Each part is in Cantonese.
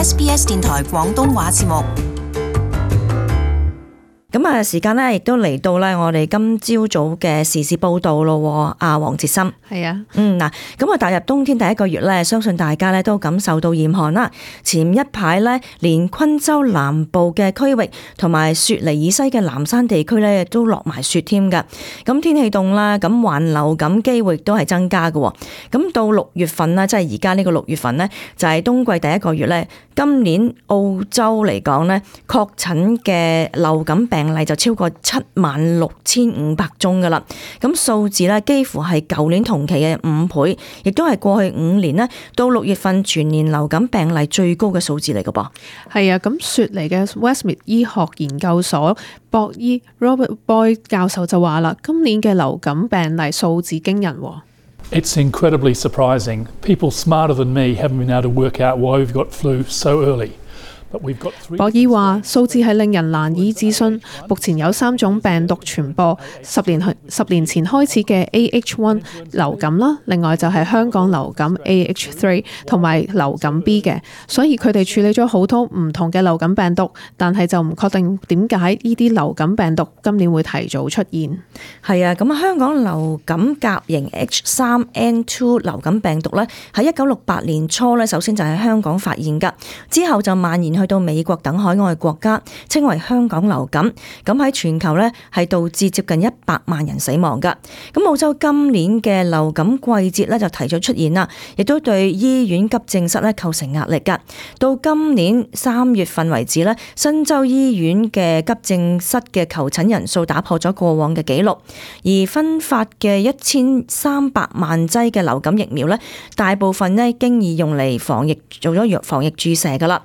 SBS 電台廣東話節目。咁啊，時間咧亦都嚟到咧，我哋今朝早嘅時事報道咯。阿黃哲森，係啊，嗱，咁啊，踏入冬天第一個月咧，相信大家咧都感受到嚴寒啦。前一排咧，連昆州南部嘅區域同埋雪梨以西嘅南山地區咧，都落埋雪添㗎。咁天氣凍啦，咁患流感機會亦都係增加嘅。咁到6月份啦，即係而家呢個6月份咧，就係冬季第一個月咧。今年澳洲嚟講咧，確診嘅流感病例就超過76,500宗噶啦，咁數字咧幾乎係舊年同期嘅5倍，亦都係過去5年咧到6月份全年流感病例最高嘅數字嚟嘅噃。係啊，咁雪梨嘅 Westmead 醫學研究所博醫 Robert Boyd 教授就話啦，今年嘅流感病例數字驚人喎。It's incredibly surprising. People smarter than me haven't been able to work out why we've got flu so early. 博伊話數字係令人難以置信，目前有3種病毒傳播，10年前開始嘅 AH1 流感啦，另外就係香港流感 AH3 同埋流感 B 嘅，所以佢哋處理咗好多唔同嘅流感病毒，但係就唔確定點解呢啲流感病毒今年會提早出現。係啊，咁香港流感甲型 H3N2 流感病毒咧，喺1968年初咧，首先就喺香港發現㗎，之後就蔓延去到美國等海外國家，稱為香港流感。咁喺全球咧係導致接近100萬人死亡㗎。咁澳洲今年嘅流感季節咧就提早出現啦，亦都對醫院急症室咧構成壓力㗎。到今年3月份為止咧，新州醫院嘅急症室嘅求診人數打破咗過往嘅紀錄，而分發嘅1300萬劑嘅流感疫苗咧，大部分咧經已用嚟做咗防疫注射㗎啦。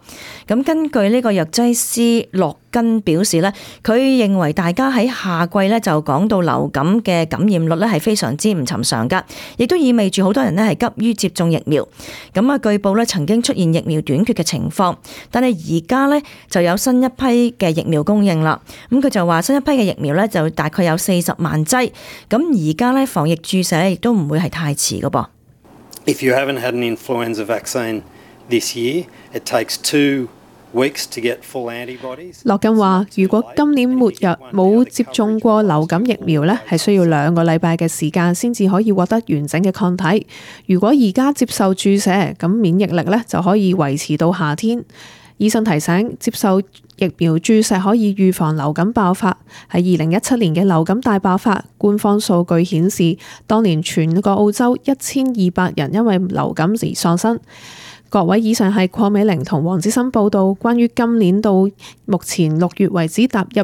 咁根據呢個藥劑師洛根表示咧，佢認為大家喺夏季咧就講到流感嘅感染率咧係非常之唔尋常噶，亦都意味住好多人咧係急於接種疫苗。咁啊，據報咧曾經出現疫苗短缺嘅情況，但係而家咧就有新一批嘅疫苗供應啦。咁佢就話新一批嘅疫苗咧就大概有40萬劑。咁而家咧防疫注射咧亦都唔會係太遲噶噃。If you haven't had an influenza vaccine this year, it takes 2 weeks to get full antibodies. 洛根話：如果今年末日冇接種過流感疫苗呢，係需要2個禮拜嘅時間先至可以獲得完整嘅抗體。如果而家接受注射，咁免疫力呢就可以維持到夏天。醫生提醒，接受疫苗注射可以預防流感爆發。喺2017年嘅流感大爆發，官方數據顯示，當年全個澳洲1200人因為流感而喪生。各位，以上係鄺美玲同黃子森報道關於今年到目前6月為止踏入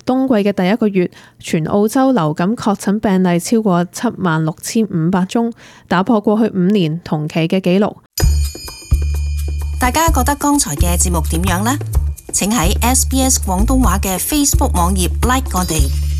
冬季嘅第一個月，全澳洲流感確診病例超過76,500宗，打破過去5年同期嘅紀錄。大家覺得剛才嘅節目點樣呢？請喺 SBS 廣東話嘅 Facebook 網頁 like 我哋。